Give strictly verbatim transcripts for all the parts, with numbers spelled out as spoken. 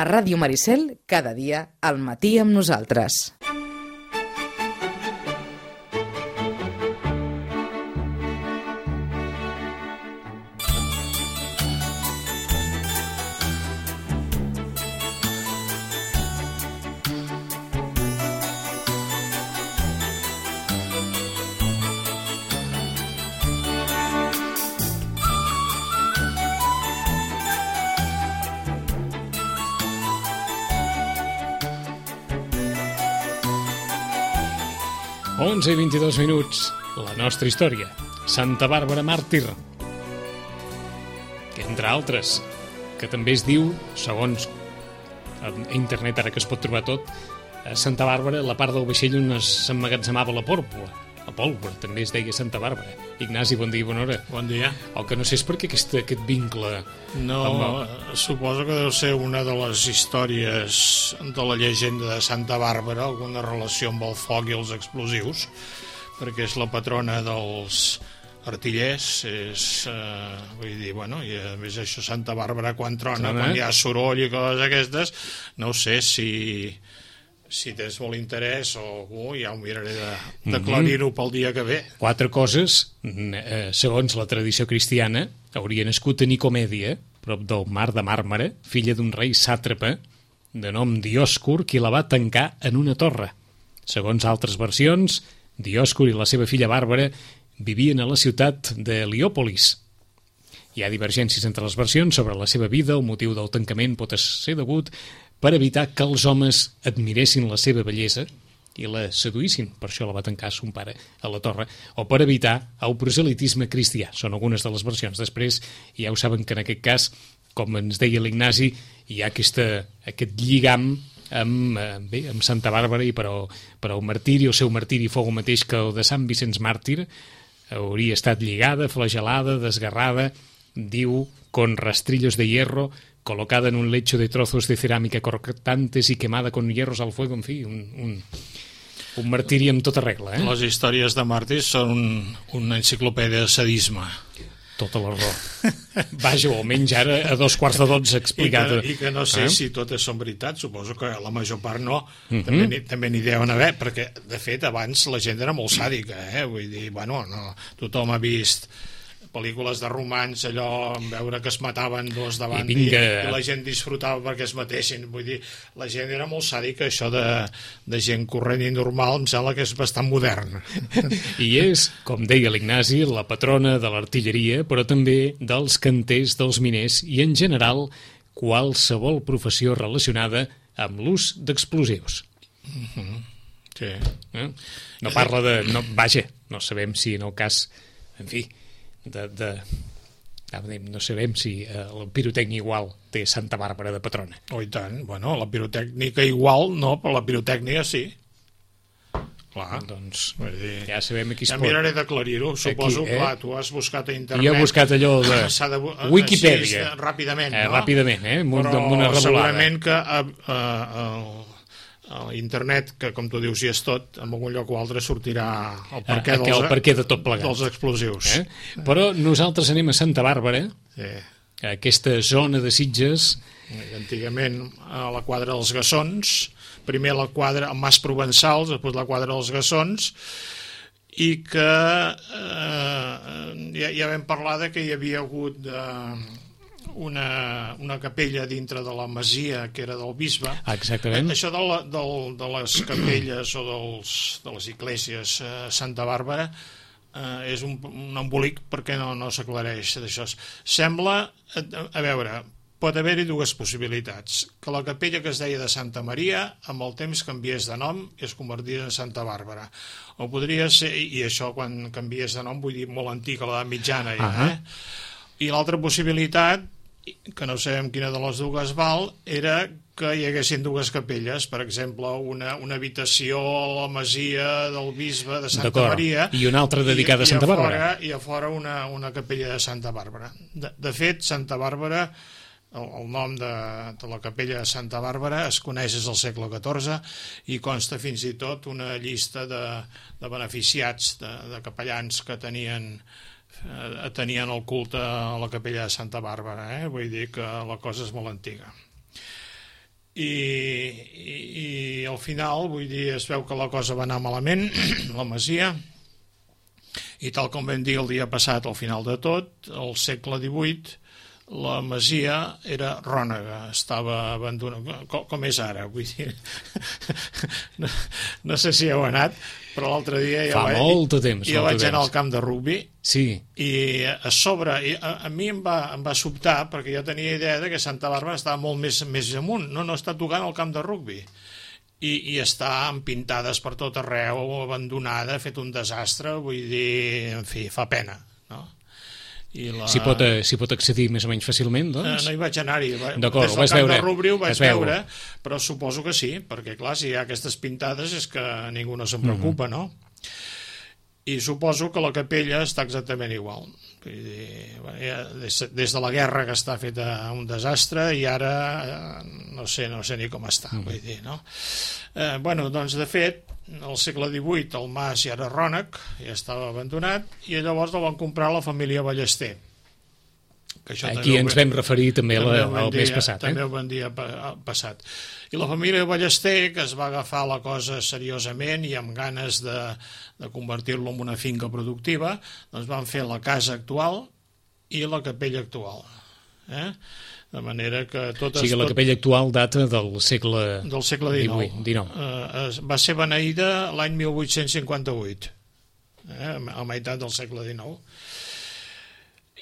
A Ràdio Maricel, cada dia, al matí amb nosaltres. onze i vint-i-dos minuts, la nostra història. Santa Bàrbara màrtir, que entre altres, que també es diu, segons a internet ara que es pot trobar tot, a Santa Bàrbara, la part del vaixell on s'emmagatzemava la pòrpora. La pólvora també es deia Santa Bàrbara. Ignasi, bon dia i bona hora. Bon dia. El que no sé és per què aquest, aquest vincle... No, amb... suposo que deu ser una de les històries de la llegenda de Santa Bàrbara, alguna relació amb el foc i els explosius, perquè és la patrona dels artillers, és, eh, vull dir, bueno, i a més això Santa Bàrbara quan trona, Trona. quan hi ha soroll i coses aquestes, no sé si... si tens molt interès o algú, ja ho miraré de- d'aclarir-ho pel dia que ve. Quatre coses, eh, segons la tradició cristiana, hauria nascut a Nicomèdia, prop del mar de Màrmara, filla d'un rei sàtrapa de nom Diòscur, qui la va tancar en una torre. Segons altres versions, Diòscur i la seva filla Bàrbara vivien a la ciutat de Heliòpolis. Hi ha divergències entre les versions sobre la seva vida, el motiu del tancament pot ser degut per evitar que els homes admiressin la seva bellesa i la seduïssin, per això la va tancar son pare a la torre, o per evitar el proselitisme cristià. Són algunes de les versions. Després, ja ho saben que en aquest cas, com ens deia l'Ignasi, hi ha aquesta, aquest lligam amb, bé, amb Santa Bàrbara i per al, per al martiri, el seu martiri fou el mateix que el de Sant Vicenç Màrtir, hauria estat lligada, flagelada, desgarrada, diu, con rastrillos de hierro, colocada en un lecho de trozos de cerámica cortantes y quemada con hierros al fuego, en fi, un, un, un martiri amb tota regla. Eh? Les històries de màrtirs són un, una enciclopèdia de sadisme. Tota la raó. Vaja, o almenys ara a dos quarts de dotze explicat. I que, i que no sé eh? si totes són veritat, suposo que la major part no, Mhm. també n'hi- també n'hi deuen haver, perquè de fet abans la gent era molt sàdica, eh? Vull dir, bueno, no, tothom ha vist pel·lícules de romans, allò, en veure que es mataven dos davant I i, vinga. i la gent disfrutava perquè es matessin. Vull dir, la gent era molt sàdica, això de, de gent corrent i normal, em sembla que és bastant modern. I és, com deia l'Ignasi, la patrona de l'artilleria, però també dels canters, dels miners i, en general, qualsevol professió relacionada amb l'ús d'explosius. Mm-hmm. Sí. Eh? No parla de... No, vaja, no sabem si en el cas... En fi, de... de no sabem si eh, la pirotècnia igual té Santa Bàrbara de patrona. Oh, i tant. Bueno, la pirotècnica igual no, però la pirotècnia sí. Clar. Doncs Vull dir, ja sabem aquí es ja pot... miraré d'aclarir-ho. Suposo, Aquí, eh? clar, tu has buscat a internet... Jo he buscat allò de S'ha de bu- Wikipedia. Així, ràpidament, Eh, no? ràpidament, eh? Amb, un- Però amb una revolada. segurament que a, a, a, a internet, que com tu dius hi és tot, en algun lloc o altre sortirà el perquè, Eh, dels, el perquè de tot plegat. dels explosius. Eh? Però nosaltres anem a Santa Bàrbara, Sí. a aquesta zona de Sitges. Antigament a la quadra dels Gassons, primer la quadra, el Mas Provençals, després la quadra dels Gassons, i que eh, ja, ja vam parlar de que hi havia hagut eh, una, una capella dintre de la masia que era del bisbe. Ah, exactament. Això de, la, del, de les capelles o dels, de les esglésies a Santa Bàrbara eh, és un, un embolic perquè no, no s'aclareix d'això. Sembla, a, a veure, pot haver-hi dues possibilitats. Que la capella que es deia de Santa Maria amb el temps canviés de nom i es convertís en Santa Bàrbara. O podria ser, i això quan canviés de nom vull dir molt antic, a l'edat mitjana ja, Ahà. eh? I l'altra possibilitat, que no sabem quina de les dues val, era que hi haguessin dues capelles, per exemple, una, una habitació a la masia del bisbe de Santa D'acord. Maria I una altra dedicada a i, Santa i a Bàrbara. fora, i a fora una, una capella de Santa Bàrbara. De, de fet, Santa Bàrbara, el, el nom de, de la capella de Santa Bàrbara es coneix des del segle catorze i consta fins i tot una llista de, de beneficiats, de, de capellans que tenien eh, tenien el culte a la capella de Santa Bàrbara, eh? Vull dir que la cosa és molt antiga. i, i, i al final, vull dir, es veu que la cosa va anar malament, la masia, i tal com vam dir el dia passat, al final de tot, al segle divuit, la masia era rònega, estava abandonada, com, com és ara, vull dir, no, no sé si heu anat, però l'altre dia ja Fa vaig, molt de temps, ja molt de vaig anar temps. al camp de rugbi, Sí. i a sobre, i a, a mi em va, em va sobtar, perquè jo tenia idea de que Santa Bàrbara estava molt més, més amunt, no, no està tocant el camp de rugbi, i, i està amb pintades per tot arreu, abandonada, fet un desastre, vull dir, en fi, fa pena, no? La... S'hi pot, s'hi pot accedir més o menys fàcilment, doncs? Eh, no hi vaig anar-hi. D'acord, Des ho del vas camp veure. de Rubri ho vaig Es veu. veure, però suposo que sí, perquè clar, si hi ha aquestes pintades és que ningú no se'n preocupa, mm-hmm. no? I suposo que la capella està exactament igual. Vull dir, ja, des, des de la guerra que està feta un desastre i ara eh, no sé, no sé ni com està, mm-hmm. vull dir, no? Eh, bueno, doncs de fet, al segle divuit el mas ja era rònec, ja estava abandonat, i llavors el van comprar la família Ballester. Que això Aquí ens vam referir també, també la, el mes passat. També eh? ho vam dir passat. I la família Ballester, que es va agafar la cosa seriosament i amb ganes de, de convertir-lo en una finca productiva, doncs van fer la casa actual i la capella actual. Eh? De manera que tot... O sigui, la capella actual data del segle... Del segle dinou. dinou. Eh, va ser beneïda l'any mil vuit-cents cinquanta-vuit, eh, a meitat del segle dinou.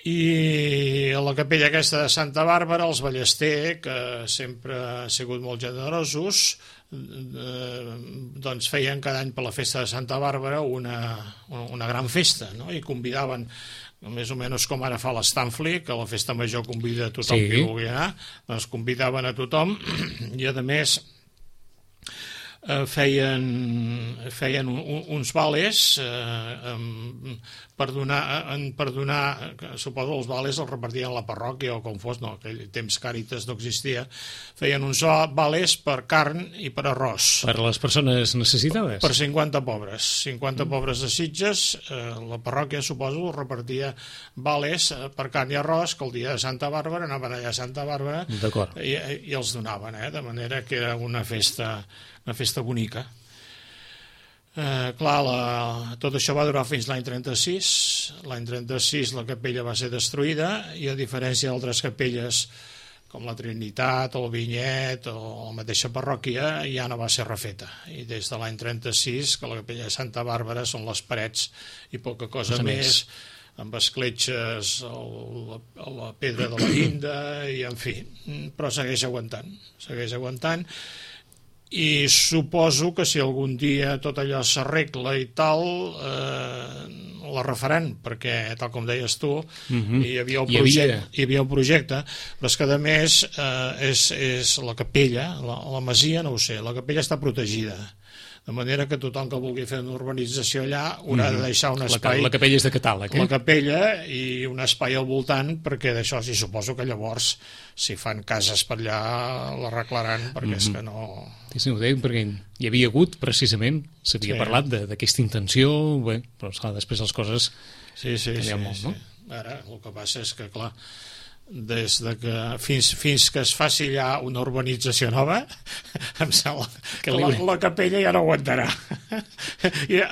I a la capella aquesta de Santa Bàrbara, els Ballester, que sempre han sigut molt generosos, eh, doncs feien cada any per la festa de Santa Bàrbara una, una gran festa, no? I convidaven, més o menys com ara fa l'Stanfli, que la festa major convida a tothom sí. que vulgui anar, doncs convidaven a tothom, i a més eh, feien, feien un, un, uns vales eh, per donar, en, per donar, suposo els vales els repartien a la parròquia o com fos, no, aquell temps Càritas no existia, feien uns vales per carn i per arròs. Per les persones necessitades? Per cinquanta pobres. cinquanta mm. pobres de Sitges, eh, la parròquia, suposo, repartia vales per carn i arròs, que el dia de Santa Bàrbara anaven allà a Santa Bàrbara i, i els donaven, eh, de manera que era una festa, una festa bonica. Eh, clar, la, tot això va durar fins l'any trenta-sis. L'any trenta-sis la capella va ser destruïda i a diferència d'altres capelles com la Trinitat, el Vinyet o la mateixa parròquia ja no va ser refeta. I des de l'any trenta-sis, que la capella de Santa Bàrbara són les parets i poca cosa més, més, amb escletxes a la, a la pedra de la llinda i en fi, però segueix aguantant, segueix aguantant. I suposo que si algun dia tot allò s'arregla i tal, eh, la refaran, perquè, tal com deies tu, mm-hmm. hi havia el projecte, hi havia... hi havia el projecte, però és que, a més, eh, és, és la capella, la, la masia, no ho sé, la capella està protegida, de manera que tothom que vulgui fer una urbanització allà haurà mm-hmm. de deixar un espai... La, la capella és de catàleg, eh? La capella i un espai al voltant, perquè d'això sí suposo que llavors, si fan cases per allà, l'arreglaran, perquè mm-hmm. és que no... Sí, sí, ho deia, perquè hi havia hagut, precisament, s'havia sí. parlat d'aquesta intenció, bé, però esclar, després les coses sí, sí, canvien sí, molt, sí. no? Ara, el que passa és que, clar, des de que fins, fins que es faci ja una urbanització nova, em sembla que la, la capella ja no aguantarà. I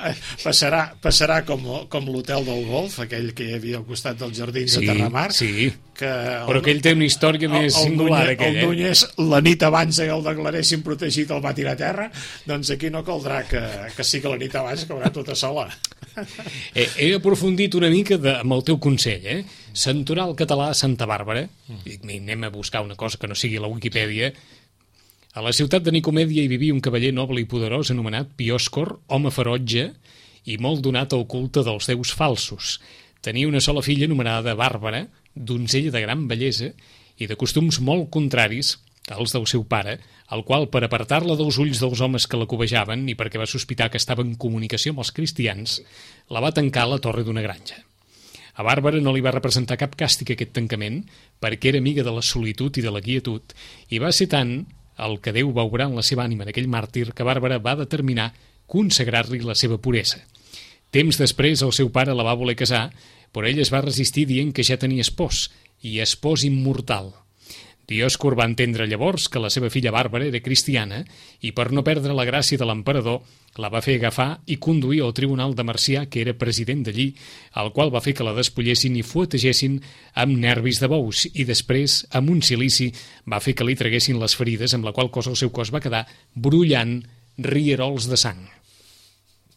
passarà, passarà com, com l'hotel del Golf, aquell que hi havia al costat dels jardins sí, de Terramar, sí. que el, però aquell té una història més el, el singular, Núñez, aquell, el eh? Núñez, la nit abans que el declaressin protegit el va tirar a terra, doncs aquí no caldrà que, que sí que la nit abans caurà tota sola. He, he aprofundit una mica de, amb el teu consell, eh? Santoral català Santa Bàrbara, mm. i anem a buscar una cosa que no sigui la Wikipedia. A la ciutat de Nicomèdia hi vivia un cavaller noble i poderós anomenat Piòscor, home ferotge i molt donat al culte dels déus falsos. Tenia una sola filla anomenada Bàrbara, donzella de gran bellesa i de costums molt contraris als del seu pare, el qual, per apartar-la dels ulls dels homes que la cobejaven i perquè va sospitar que estava en comunicació amb els cristians, la va tancar a la torre d'una granja. A Bàrbara no li va representar cap càstig aquest tancament, perquè era amiga de la solitud i de la quietud, i va ser tant el que Déu va obrar en la seva ànima en aquell màrtir que Bàrbara va determinar consagrar-li la seva puresa. Temps després el seu pare la va voler casar, però ell es va resistir dient que ja tenia espòs, i espòs immortal. Dioscur va entendre llavors que la seva filla Bàrbara era cristiana i per no perdre la gràcia de l'emperador la va fer agafar i conduir al tribunal de Marcià, que era president d'allí, el qual va fer que la despullessin i fuetegessin amb nervis de bous i després, amb un silici, va fer que li traguessin les ferides, amb la qual cosa el seu cos va quedar brollant rierols de sang.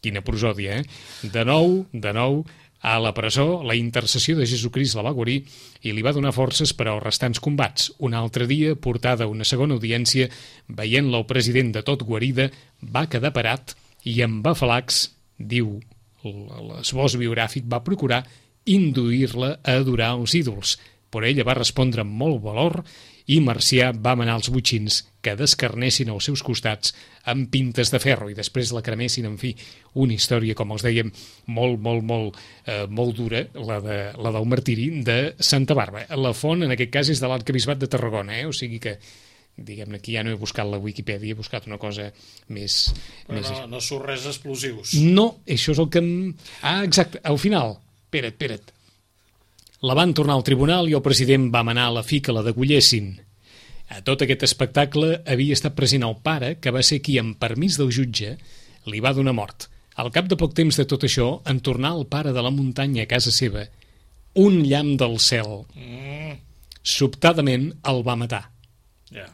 Quina prosòdia, eh? De nou, de nou, a la presó, la intercessió de Jesucrist la va guarir i li va donar forces per als restants combats. Un altre dia, portada a una segona audiència, veient-la el president de tot guarida, va quedar parat i amb afalacs, diu l'esbós biogràfic, va procurar induir-la a adorar els ídols. Però ella va respondre amb molt valor i Marcià va manar els botxins que descarnessin als seus costats amb pintes de ferro i després la cremessin, en fi, una història, com els dèiem, molt, molt, molt, eh, molt dura, la, de, la del martiri de Santa Bàrbara. La font, en aquest cas, és de l'Arquebisbat de Tarragona, eh? O sigui que, diguem-ne, aquí ja no he buscat la Wikipedia, he buscat una cosa més... Però més... no, no surt res explosius. No, això és el que... Em... Ah, exacte, al final, espera't, espera't. La van tornar al tribunal i el president va manar a la fi que la degollessin. A tot aquest espectacle havia estat present el pare, que va ser qui, amb permís del jutge, li va donar mort. Al cap de poc temps de tot això, en tornar el pare de la muntanya a casa seva, un llamp del cel, Mm, sobtadament el va matar. ja.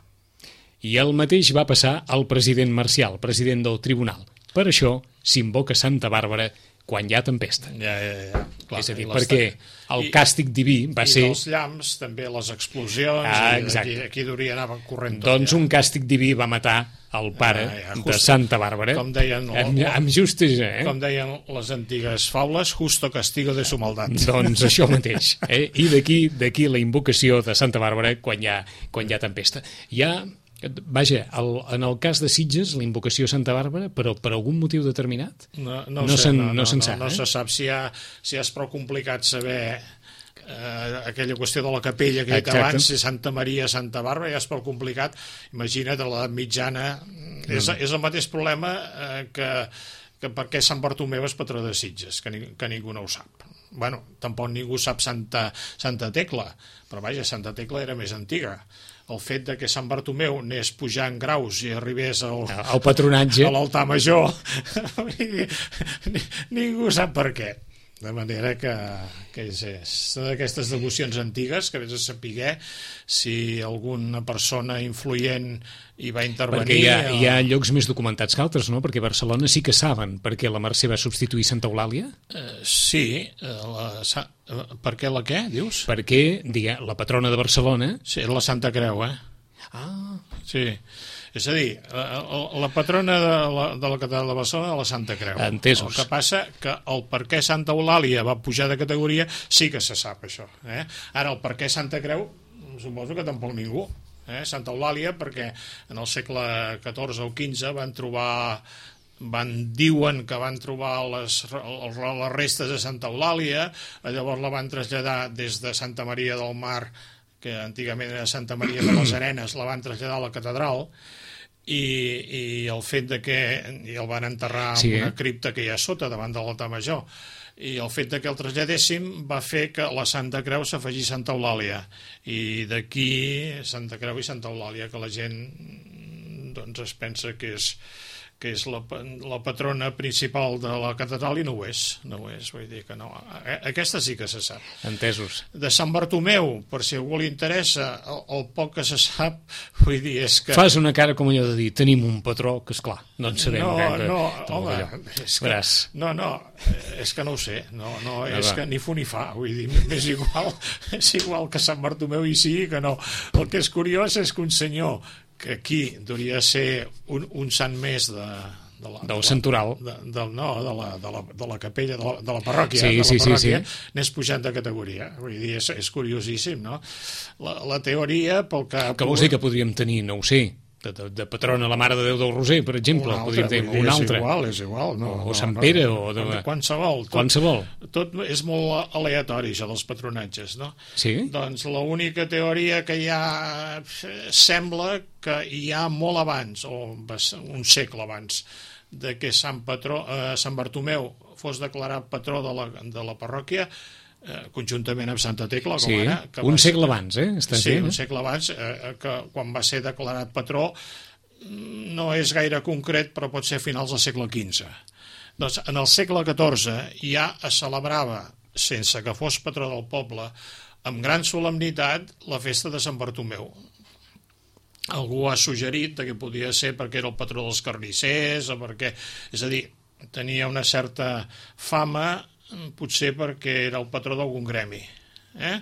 I el mateix va passar al president Marcial, president del tribunal. Per això s'invoca Santa Bàrbara quan hi ha tempesta. Ja, ja, ja. Clar, És a dir, i les- perquè el i- càstig diví va I ser... dels llamps, també les explosions, Ah, i exacte. aquí, aquí hauria anar corrent tot. Doncs ja. un càstig diví va matar el pare Ah, ja, de justo. Santa Bàrbara. Com deien, Amb, amb justesa, eh? Com deien les antigues faules, justo castigo de su maldad. Doncs això mateix. Eh? I d'aquí d'aquí la invocació de Santa Bàrbara quan hi ha, quan hi ha tempesta. Hi ha, vaja, el, en el cas de Sitges, la invocació a Santa Bàrbara, però per algun motiu determinat? No, no, No ho sé, se'n- no, no no, se'n no, sap, no eh? se sap si, ha, si és prou complicat saber eh, aquella qüestió de la capella que he dit Exacte. abans, si Santa Maria, Santa Bàrbara, ja és prou complicat. Imagina't, a l'edat mitjana, és, és el mateix problema eh, que, que per què Sant Bartomeu és patró de Sitges, que, ni, que ningú no ho sap. Bueno, tampoc ningú sap Santa, Santa Tecla, però vaja, Santa Tecla era més antiga. El fet de que Sant Bartomeu anés pujant graus i arribés al, El patronatge. a l'altar major ningú sap per què, de manera que, que és, és d'aquestes devocions antigues que vés a saber si alguna persona influent hi va intervenir. Perquè hi ha, o... hi ha llocs més documentats que altres, no? Perquè a Barcelona sí que saben per què la Mercè va substituir Santa Eulàlia. Eh, sí, eh, la, sa- eh, per què la què, dius? Perquè, digue, la patrona de Barcelona... Sí, la Santa Creu, eh? Ah, Sí. És a dir, la, la patrona de la, de la catedral de Barcelona és la Santa Creu. Entesos. El que passa que el per què Santa Eulàlia va pujar de categoria sí que se sap, això. Eh? Ara, el per què Santa Creu, suposo que tampoc ningú. Eh? Santa Eulàlia, perquè en el segle catorze o quinze van trobar... Van, diuen que van trobar les, les, les restes de Santa Eulàlia, llavors la van traslladar des de Santa Maria del Mar, que antigament era Santa Maria de les Arenes, la van traslladar a la catedral, i, i el fet de que i el van enterrar en Sí, eh? una cripta que hi ha sota, davant de l'altar major, i el fet de que el traslladéssim va fer que la Santa Creu s'afegís Santa Eulàlia, i d'aquí Santa Creu i Santa Eulàlia, que la gent doncs es pensa que és que és la, la patrona principal de la catedral, i no ho és, no ho és, vull dir que no. Aquesta sí que se sap. entesos. De Sant Bartomeu, per si a algú li interessa, el, el poc que se sap, vull dir, és que... Fas una cara com allò de dir, tenim un patró, que és clar, no en sabem no, gaire. no, tot home, allò. és que, Veràs. no, no, és que no ho sé, no, no, No, és va. que ni fu ni fa, vull dir, és igual, és igual que Sant Bartomeu hi sigui que no. El que és curiós és que un senyor que aquí hauria de ser un, un sant més de, de la, Del de la- santoral. de, de, no, de la, de, la, de la capella, de la, de la parròquia, Sí, de la sí, sí, parròquia sí. n'és pujant de categoria, vull dir, és, és curiosíssim, no? La, la teoria, pel que... Que vols dir que podríem tenir, no ho sé, de, de, de patrona la Mare de Déu del Roser, per exemple, un altre, podríem tenir vull dir, un és altre. igual, és igual, no, O no, Sant no, Pere, no, o de- de qualsevol, tot, Qualsevol. tot és molt aleatori, això dels patronatges, no? Sí? Doncs l'única teoria que hi ha eh, sembla que hi ha molt abans, o bas- un segle abans, de que Sant, Patró, eh, Sant Bartomeu fos declarat patró de la, de la parròquia, eh, conjuntament amb Santa Tecla, com Sí, ara. Que un va segle ser- abans, eh? Estàs Sí, dient, un eh? segle abans, eh, que quan va ser declarat patró, no és gaire concret, però pot ser a finals del segle quinze. Doncs en el segle catorze ja es celebrava, sense que fos patró del poble, amb gran solemnitat, la festa de Sant Bartomeu. Algú ha suggerit que podia ser perquè era el patró dels carnissers, o perquè, és a dir, tenia una certa fama, potser perquè era el patró d'algun gremi. Eh?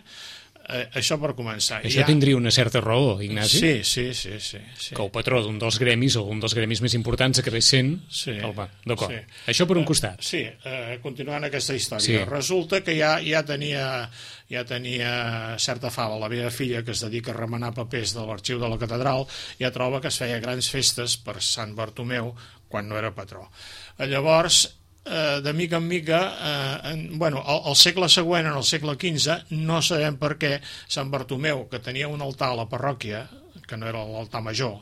Eh, això per començar. Això Ja... tindria una certa raó, Ignasi? Sí, sí, sí, sí, sí. Que el patró d'un dels gremis, o un dels gremis més importants, acabés sent Sí, el va. D'acord. sí. Això per un costat. Sí, eh, continuant aquesta història. Sí. Resulta que ja, ja, tenia, ja tenia certa fama. La meva filla, que es dedica a remenar papers de l'arxiu de la catedral, ja troba que es feia grans festes per Sant Bartomeu quan no era patró. Llavors, eh, de mica en mica, eh, en, bueno, el, el segle següent, en el segle quinze, no sabem per què Sant Bartomeu, que tenia un altar a la parròquia, que no era l'altar major,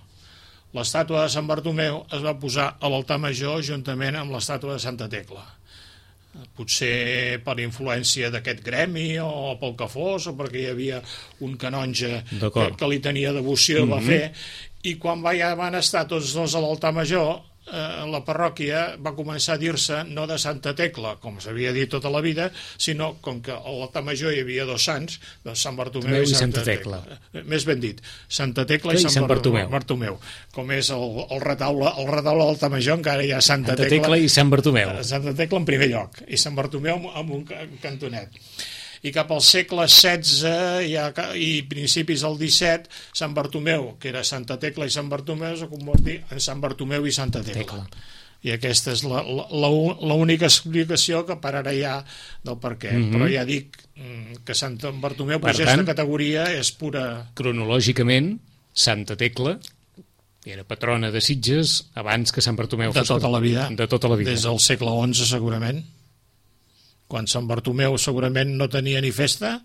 l'estàtua de Sant Bartomeu es va posar a l'altar major juntament amb l'estàtua de Santa Tecla. Potser per influència d'aquest gremi o pel que fos, o perquè hi havia un canonge que, que li tenia devoció, mm-hmm. va fer, i quan va, ja van estar tots dos a l'altar major, eh, la parròquia va començar a dir-se no de Santa Tecla, com s'havia dit tota la vida, sinó com que a l'altar major hi havia dos sants, doncs Sant Bartomeu i, i Santa, Santa Tecla. Tecla. Més ben dit, Santa Tecla i, i Sant, Sant Bartomeu. Bartomeu. Com és el, el retaule, el retaule de l'altar major, encara hi ha Santa, Santa Tecla, Tecla i Sant Bartomeu. Santa Tecla en primer lloc, i Sant Bartomeu amb un cantonet. I cap al segle setze ja, i principis del disset, Sant Bartomeu, que era Santa Tecla i Sant Bartomeu, es convertir en Sant Bartomeu i Santa Tecla. Tecla. I aquesta és l'única explicació que per ara hi ha del per què. Mm-hmm. Però ja dic que Sant Bartomeu pugés de categoria és pura... Cronològicament, Santa Tecla era patrona de Sitges abans que Sant Bartomeu de tota la vida. De tota la vida. Des del segle onze, segurament. Quan Sant Bartomeu segurament no tenia ni festa,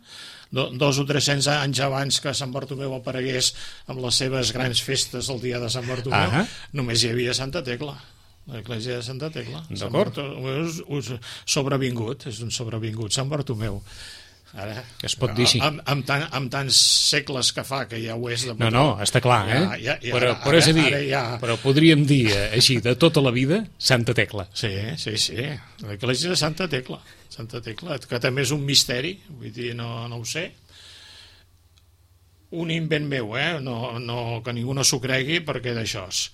dos o tres-cents anys abans que Sant Bartomeu aparegués amb les seves grans festes el dia de Sant Bartomeu, ah només hi havia Santa Tecla, l'església de Santa Tecla. Sant Bartomeu és sobrevingut, és un sobrevingut, Sant Bartomeu. Ara, es pot dir així. Amb, amb, tan, amb tants segles que fa que ja ho és de no, no, està clar, eh? Ja, ja, ja, però, però, ara, és a dir, ja... però podríem dir així, de tota la vida, Santa Tecla. Sí, sí, sí, l'església de Santa Tecla, Santa Tecla, que també és un misteri, vull dir, no, no ho sé. Un invent meu, eh? No, no, que ningú no s'ho cregui, perquè d'això és.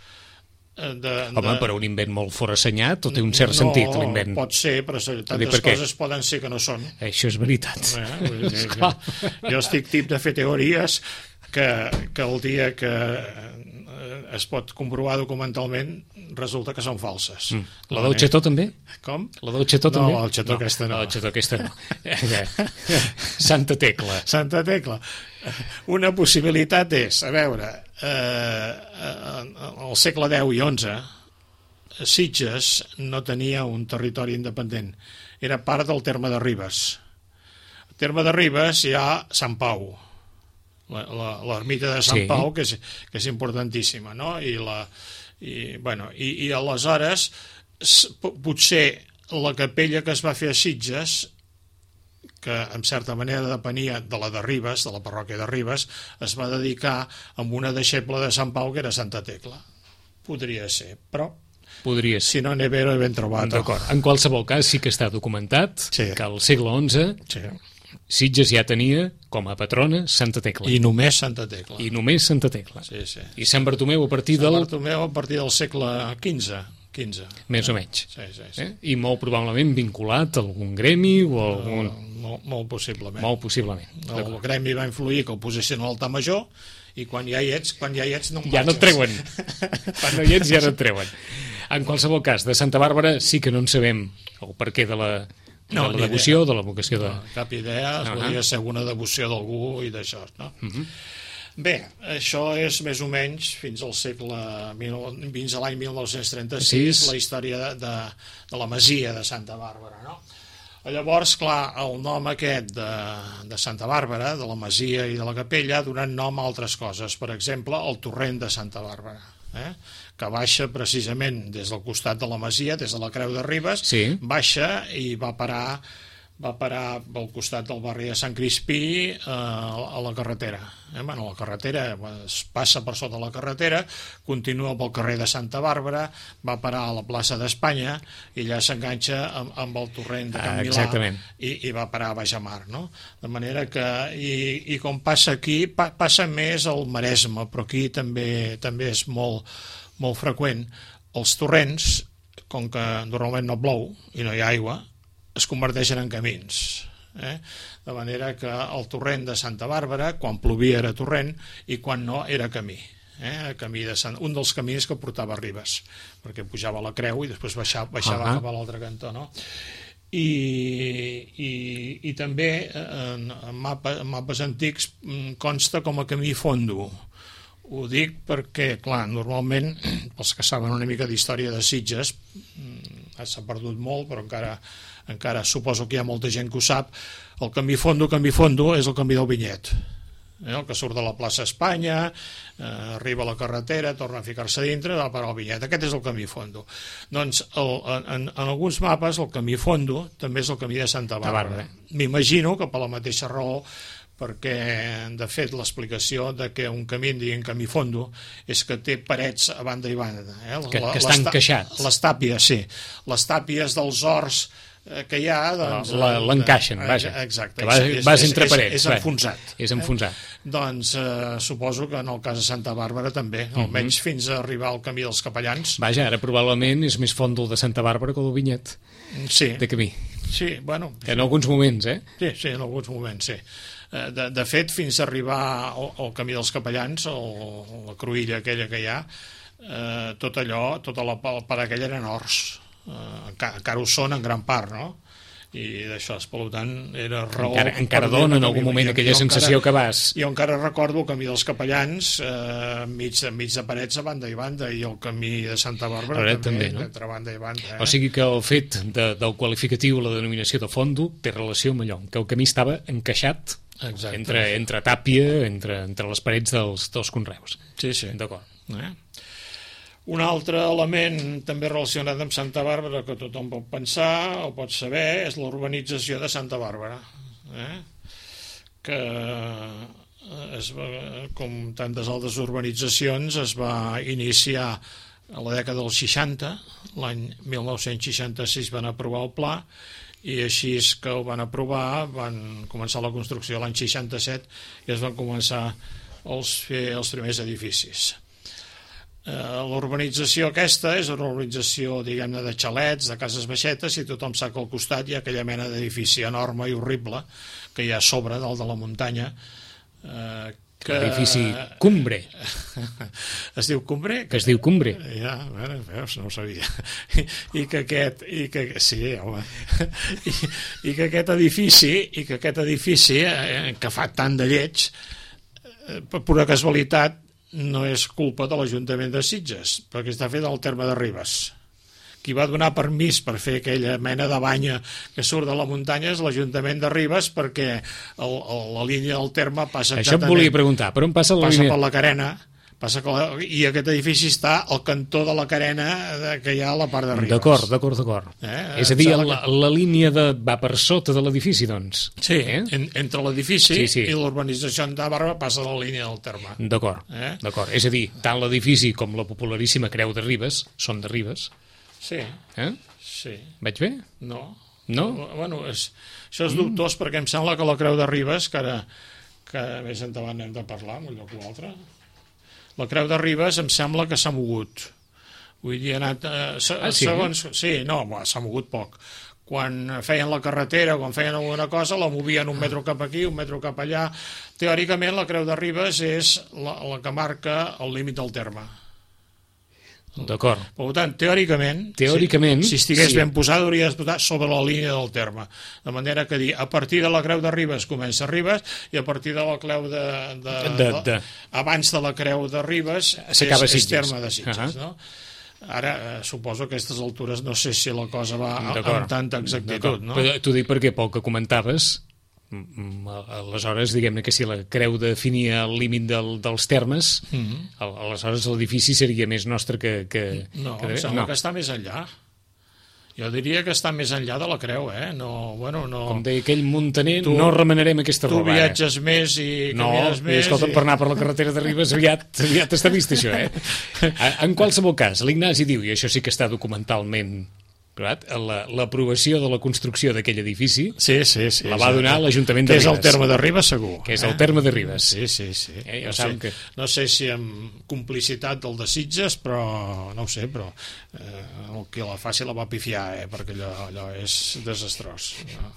De, Home, de... però un invent molt forassenyat, tot té un cert no, sentit, l'invent. No, pot ser, però tantes coses poden ser que no són. Això és veritat. Eh? Dir, jo, jo estic tip de fer teories que, que el dia que es pot comprovar documentalment resulta que són falses. Mm. La del Xetó també? Com? La del Xetó també? No, la del Xetó no, aquesta no. La del Xetó aquesta no. Santa Tecla. Santa Tecla. Una possibilitat és, a veure, eh, al segle deu i onze, Sitges no tenia un territori independent. Era part del terme de Ribes. Al terme de Ribes hi ha Sant Pau, l'ermita de Sant sí. Pau, que és, que és importantíssima, no? I, la, i, bueno, i, i aleshores potser la capella que es va fer a Sitges, que en certa manera depenia de la de Ribes, de la parròquia de Ribes, es va dedicar amb una deixeble de Sant Pau que era Santa Tecla. Podria ser, però podria ser. Si no n'he ben, ben trobat. D'acord. En qualsevol cas sí que està documentat sí. que al segle onze sí. Sitges ja tenia com a patrona Santa Tecla. I només Santa Tecla. I només Santa Tecla. Sí, sí. I Sant Bartomeu a partir Sant del... Sant Bartomeu a partir del segle quinze. quinze. Més o menys. Sí, sí, sí. Eh? I molt probablement vinculat a algun gremi o a algun... No, molt, molt possiblement. Molt possiblement. El gremi va influir que el posessin a l'altar major i quan ja hi ets, quan ja hi ets no em ja no et treuen. Quan no hi ets ja no et treuen. En qualsevol cas, de Santa Bàrbara sí que no en sabem el perquè de la, de no, la devoció, idea. de la vocació de... No, cap idea, es uh -huh. podria ser una devoció d'algú i d'això, no? Uh -huh. Bé, això és més o menys fins al segle, fins a l'any mil nou-cents trenta-sis, sí. la història de, de, de la masia de Santa Bàrbara, no? Llavors, clar, el nom aquest de, de Santa Bàrbara, de la masia i de la capella, ha donat nom a altres coses. Per exemple, el torrent de Santa Bàrbara, eh? que baixa precisament des del costat de la masia, des de la Creu de Ribes, sí. baixa i va parar va parar pel costat del barri de Sant Crispí eh, a la carretera. Eh? Bueno, la carretera es passa per sota la carretera, continua pel carrer de Santa Bàrbara, va parar a la plaça d'Espanya i allà s'enganxa amb, amb el torrent de Can Milà ah, i, i va parar a Baixamar, no? De manera que, i, i com passa aquí, pa, passa més al Maresme, però aquí també també és molt, molt freqüent. Els torrents, com que normalment no plou i no hi ha aigua, es converteixen en camins. Eh? De manera que el torrent de Santa Bàrbara, quan plovia era torrent i quan no era camí. Eh? Camí de Sant... Un dels camins que portava a Ribes, perquè pujava a la Creu i després baixava, baixava uh -huh. cap a l'altre cantó. No? I, i, i també en, en, mapa, en mapes antics consta com a camí fondo. Ho dic perquè, clar, normalment, els que saben una mica d'història de Sitges, s'ha perdut molt, però encara, encara suposo que hi ha molta gent que ho sap, el camí fondo, camí fondo, és el camí del Vinyet. Eh, el que surt de la plaça Espanya, eh, arriba a la carretera, torna a ficar-se dintre, va parar al Vinyet. Aquest és el camí fondo. Doncs el, en, en alguns mapes el camí fondo també és el camí de Santa Bàrbara. M'imagino que per la mateixa raó, perquè de fet l'explicació de que un camí en diguin camí fondo és que té parets a banda i banda, eh? que, que està encaixat, les tàpies, sí, les tàpies dels horts que hi ha, doncs, l'encaixen, vaja, exacte, que vas, vas entre parets, és, és enfonsat, és enfonsat. Eh? Doncs eh, suposo que en el cas de Santa Bàrbara també, almenys uh -huh. fins a arribar al camí dels Capellans. Vaja, ara probablement és més fondo el de Santa Bàrbara que el del Vinyet, sí, de camí. Sí, bueno, en alguns moments, eh? Sí, sí, en alguns moments, sí. De, de fet, fins a arribar al, al camí dels Capellans, o la cruïlla aquella que hi ha, eh, tot allò, tota la part aquella eren horts, eh, encara, encara ho són en gran part, no? I d'això, per tant, era raó... Encara, encara dona en algun moment aquella sensació que vas... Jo encara recordo el camí dels Capellans, eh, mig, mig de parets a banda i banda, i el camí de Santa Bàrbara Ara, també, també no? entre banda i banda. Eh? O sigui que el fet de, del qualificatiu, la denominació de fondo, té relació amb allò, que el camí estava encaixat entre, entre tàpia, entre, entre les parets dels, dels conreus. Sí, sí. D'acord. Eh? Un altre element també relacionat amb Santa Bàrbara que tothom pot pensar o pot saber és l'urbanització de Santa Bàrbara, eh? que es va, com tantes altres urbanitzacions es va iniciar a la dècada dels seixanta, l'any mil nou-cents seixanta-sis van aprovar el pla i així que ho van aprovar van començar la construcció l'any seixanta-set i es van començar a fer els primers edificis. L'urbanització aquesta és una urbanització, diguem-ne, de xalets, de cases baixetes, i tothom sap que al costat hi ha aquella mena d'edifici enorme i horrible que hi ha a sobre, dalt de la muntanya, eh, que... L'edifici Cumbre. Es diu Cumbre? Que es diu Cumbre. Ja, bueno, veus, no ho sabia. I que aquest... I que, sí, home. I, I que aquest edifici, i que aquest edifici, eh, que fa tant de lleig, eh, per pura casualitat, no és culpa de l'Ajuntament de Sitges, perquè està fet al terme de Ribes. Qui va donar permís per fer aquella mena de banya que surt de la muntanya és l'Ajuntament de Ribes, perquè el, el, la línia del terme passa exactament... Això em volia preguntar, per on passa la passa línia? Passa per la Carena, passa que la, i aquest edifici està al cantó de la Carena que hi ha a la part de Ribes. D'acord, d'acord, d'acord. Eh? És a dir, la, la línia de, va per sota de l'edifici, doncs. Sí, eh? en, entre l'edifici sí, sí. i l'urbanització de Bàrbara passa la línia del terme. D'acord, eh? d'acord. És a dir, tant l'edifici com la popularíssima Creu de Ribes són de Ribes. Sí, eh? sí. Vaig bé? No. No? Bueno, és, això és dubtós, mm. perquè em sembla que la Creu de Ribes, que ara que més endavant hem de parlar en un lloc o altre, la Creu de Ribes em sembla que s'ha mogut. Vull dir, ha anat... Eh, se, ah, sí? Segons, sí, no, s'ha mogut poc. Quan feien la carretera, quan feien alguna cosa, la movien un metro cap aquí, un metro cap allà. Teòricament, la Creu de Ribes és la, la que marca el límit del terme. D'acord. Per tant, teòricament, teòricament si, si estigués sí. ben posat, hauria de posar sobre la línia del terme. De manera que dir, a partir de la Creu de Ribes comença Ribes i a partir de la Creu de... de, de, de... abans de la Creu de Ribes és, és terme de Sitges, uh -huh. no? Ara, eh, suposo que a aquestes altures no sé si la cosa va amb tanta exactitud, no? Però t'ho dic perquè pel que comentaves, aleshores, diguem-ne que si la Creu definia el límit del, dels termes, mm -hmm. aleshores l'edifici seria més nostre que... que no, que em sembla no. que està més enllà. Jo diria que està més enllà de la Creu, eh? No, bueno, no... Com deia aquell muntaner, Tu- no remenarem aquesta Tu roba. viatges més i No, camines i més... escolta, per anar per la carretera de Ribes aviat, aviat està vist això, eh? En qualsevol cas, l'Ignasi diu, i això sí que està documentalment provat, la- l'aprovació de la construcció d'aquell edifici Sí, sí, sí. la va donar l'Ajuntament de Que és el Ribes. terme de Ribes, segur. Que és el terme de Ribes. Sí, sí, sí. Eh, ja no, saben sé, que- no sé si amb complicitat del de Sitges, però no ho sé, però eh, el que la faci la va pifiar, eh, perquè allò, allò és desastrós. No?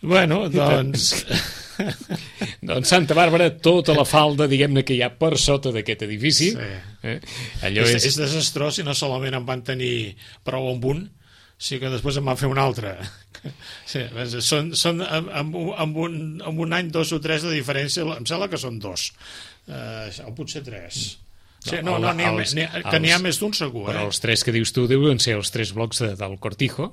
Bueno, doncs... Doncs Santa Bàrbara, tota la falda, diguem-ne, que hi ha per sota d'aquest edifici. Sí. Eh? Allò és, és... és desastrós i no solament en van tenir prou amb un, sí que després en van fer un altre. Sí, són, són amb, amb, un- amb, un, amb un any, dos o tres de diferència, em sembla que són dos, eh, o potser tres. Sí, no, no, n'hi ha, els- n'hi ha, que n'hi ha els- més d'un segur, Però eh? els tres que dius tu deuen ser els tres blocs de, del Cortijo,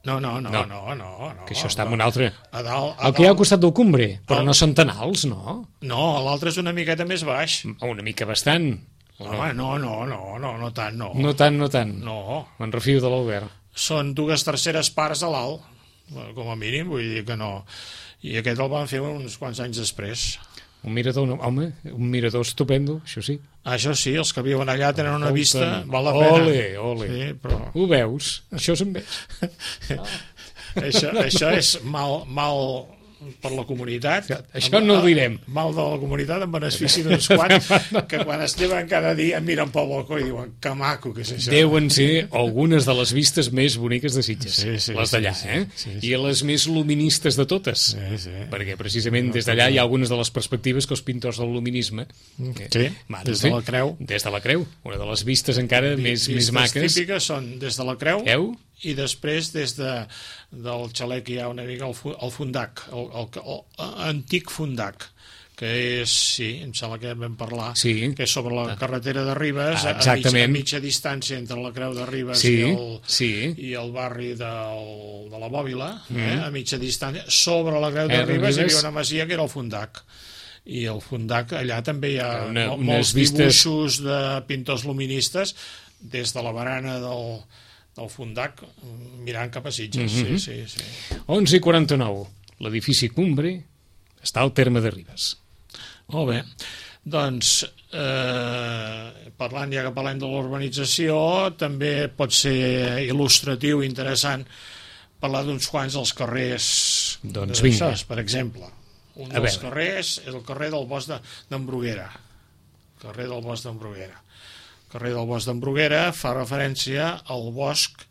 No, no, no, No. no, no, no. que això està en no. un altre... A dalt, a El que hi ha al dalt, costat del Cumbre, però El- no són tan alts, no? no, l'altre és una miqueta més baix. Una mica bastant. O no? Home, no, no, no, no, no tant, no. No tant, no tant. No, Me'n refio de l'Albert. són dues terceres parts a l'alt, com a mínim, vull dir que no. I aquest el van fer uns quants anys després. Un mirador, no, home, un mirador estupendo, això sí. Això sí, els que viuen allà tenen una Escolta, vista, val la pena. Ole, ole. Sí, però Ho veus? Això se'n ve. això, això és mal, mal per la comunitat. Això no ho direm. Mal de la comunitat en benefici d'uns quants que quan es lleven cada dia miren pel balcó i diuen que maco que és això. Deuen ser algunes de les vistes més boniques de Sitges, Sí, sí, les d'allà, sí, sí, eh? sí, sí. I les més luministes de totes. Sí, sí. Perquè precisament des d'allà hi ha algunes de les perspectives que els pintors del luminisme... eh, Sí, van des fer. de la Creu. Des de la Creu, una de les vistes encara més, més Vistes maques. típiques són des de la Creu Creu? i després des de, del xalet que hi ha una mica al, fu- al Fundac, el, el, el, el antic Fundac, que és, sí, em sembla que vam parlar, Sí. que és sobre la carretera de Ribes, Ah, a, mitja, exactament. a mitja distància entre la Creu de Ribes Sí, i, el, sí. i el barri del, de la Bòbila, eh, a mitja distància, sobre la Creu de Eh, Ribes hi Ribes. havia una masia que era el Fundac. I el Fundac, allà també hi ha Una- mo- unes molts vistes- dibuixos de pintors luministes des de la barana del, del Fundac mirant cap a Sitges. Mhm. Sí, sí, sí. onze i quaranta-nou. L'edifici Cumbre està al terme de Ribes. Molt bé. Doncs, eh, parlant ja que parlem de la urbanització, també pot ser il·lustratiu i interessant parlar d'uns quants dels carrers Doncs de vinga. Sants, per exemple. Un A dels veure. carrers és el carrer del Bosc de- d'en Bruguera. Carrer del Bosc d'en Bruguera. Carrer del Bosc d'en Bruguera fa referència al bosc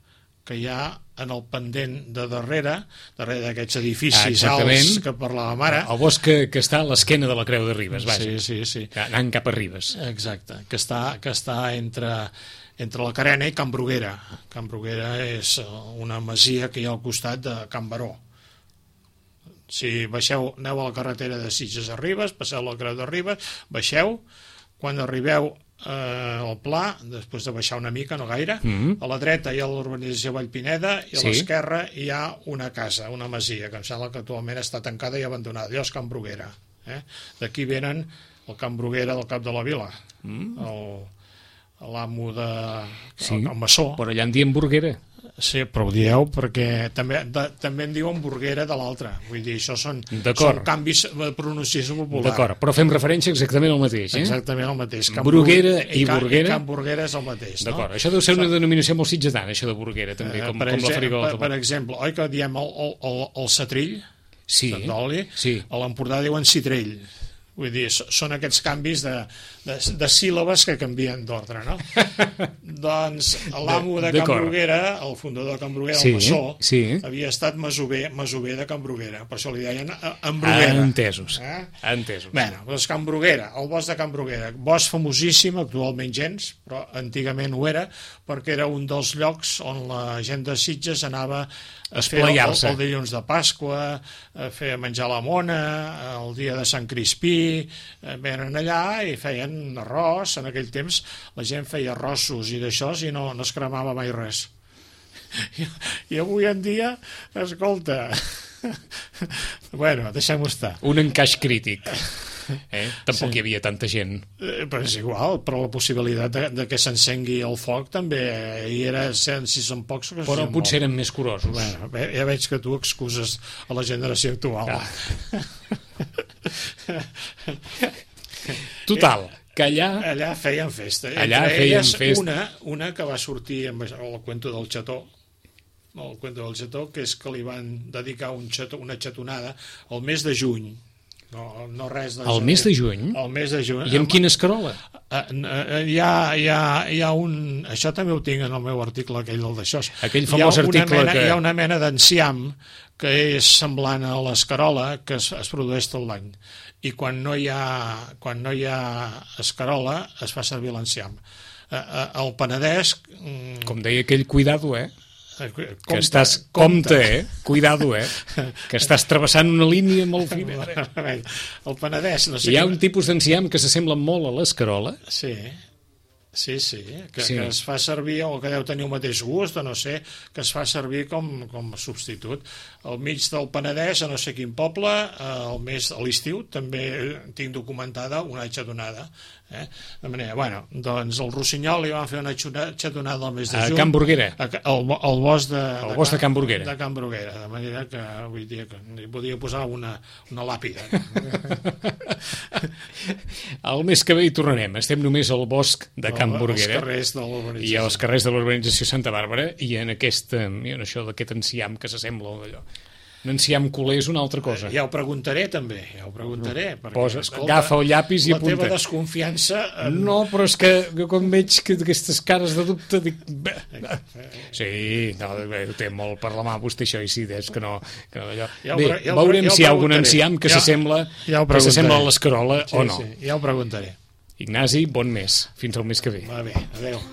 que hi ha en el pendent de darrere, darrere d'aquests Ah, edificis exactament. alts que parlàvem ara. El bosc que, que està a l'esquena de la Creu de Ribes, vaja. Sí, sí, sí. Anant cap a Ribes. Exacte, que està, que està entre, entre la Carena i Can Bruguera. Can Bruguera és eh, una masia que hi ha al costat de Can Baró. Si baixeu, aneu a la carretera de Sitges a Ribes, passeu la Creu de Ribes, baixeu, quan arribeu eh, al Pla, després de baixar una mica, no gaire, Mhm. a la dreta hi ha l'urbanització Vallpineda i a Sí. l'esquerra hi ha una casa, una masia, que em sembla que actualment està tancada i abandonada. Allò és Can Bruguera. Eh? D'aquí venen el Can Bruguera del cap de la vila, Mm. el- l'amo de... Sí. el, el maçó. Però allà en diem Burguera. Sí, però ho dieu perquè també, de, també en diuen Burguera de l'altre. Vull dir, això són, D'acord. són canvis de pronunciació popular. D'acord, però fem referència exactament al mateix, eh? Exactament el mateix. Can Bruguera Bru- i Can- Burguera. I Can Burguera és el mateix, no? D'acord, això deu ser una denominació molt sitgetana, això de Burguera, també, Eh, com, per, com la exemple, farigota. per, per exemple, oi que diem el, el, el, el setrill Sí, d'oli? sí. A l'Empordà diuen citrell. Vull dir, so- són aquests canvis de, de, de síl·labes que canvien d'ordre, no? Doncs l'amo de Can D'acord. Bruguera, el fundador de Can Bruguera, Sí, el maçó, sí. havia estat masover, masover de Can Bruguera, per això li deien eh, en Ah, Bruguera. entesos, Eh? entesos. Bé, doncs Can Bruguera, el bosc de Can Bruguera, bosc famosíssim, actualment gens, però antigament ho era, perquè era un dels llocs on la gent de Sitges anava a fer el, el, Esplaiar-se. el dilluns de Pasqua, a fer menjar la mona, el dia de Sant Crispí, eh, venen allà i feien arròs, en aquell temps la gent feia arrossos i d'això i no, no es cremava mai res. I, i avui en dia, escolta, bueno, deixem-ho estar. Un encaix crític. Eh? Tampoc sí. Hi havia tanta gent. Eh, però és igual, però la possibilitat de, de que s'encengui el foc també hi era, si són pocs... Però si potser eren més curosos. Bueno, ja veig que tu excuses a la generació actual. Ah. Total, que allà... Allà feien festa. Allà Entre feien elles, festa. Una, una que va sortir amb el cuento del xató, el cuento del xató, que és que li van dedicar un xató, una xatonada al mes de juny. No, no res de el mes de juny? El mes de juny. I amb quina escarola? Hi ha, hi, ha, hi ha un... Això també ho tinc en el meu article, aquell del d'això. Aquell famós article mena, que... Hi ha una mena d'enciam que és semblant a l'escarola, que es, es produeix tot l'any. I quan no hi ha, quan no hi ha escarola, es fa servir l'enciam. Al Penedès... Com deia aquell, cuidado, eh? Compte, que estàs, compte, eh? Cuidado, eh? Que estàs travessant una línia molt fina. El Penedès... No sé Hi ha que... un tipus d'enciam que s'assembla molt a l'escarola. Sí, sí, sí, que, sí. que es fa servir, o que deu tenir el mateix gust, o no sé, que es fa servir com, com a substitut. Al mig del Penedès, a no sé quin poble, al mes a l'estiu, també tinc documentada una xatonada. Eh? De manera, bueno, doncs el Rossinyol li van fer una xatonada al mes de juny. A Can Burguera. Al bosc de, el bosc de Can Burguera. De Can Burguera, de manera que vull dir que li podia posar una, una làpida. El mes que ve hi tornarem. Estem només al bosc de Can Burguera. Als carrers de l'urbanització. I als carrers de l'urbanització Santa Bàrbara, i en aquest, en això d'aquest enciam que s'assembla d'allò. Un enciam culer és una altra cosa. Ja ho preguntaré també, ja ho preguntaré. Perquè, Posa, escolta, agafa el llapis i apunta. La teva desconfiança... En... No, però és que quan veig que aquestes cares de dubte dic... Sí, no, ho té molt per la mà vostè això, i sí, és que no... Que no allò... ja Bé, ja veurem ja si hi ha algun enciam que s'assembla ja, ja que s'assembla a l'escarola sí, o no. Sí, ja ho preguntaré. Ignasi, bon mes. Fins al mes que ve. Va bé, adeu.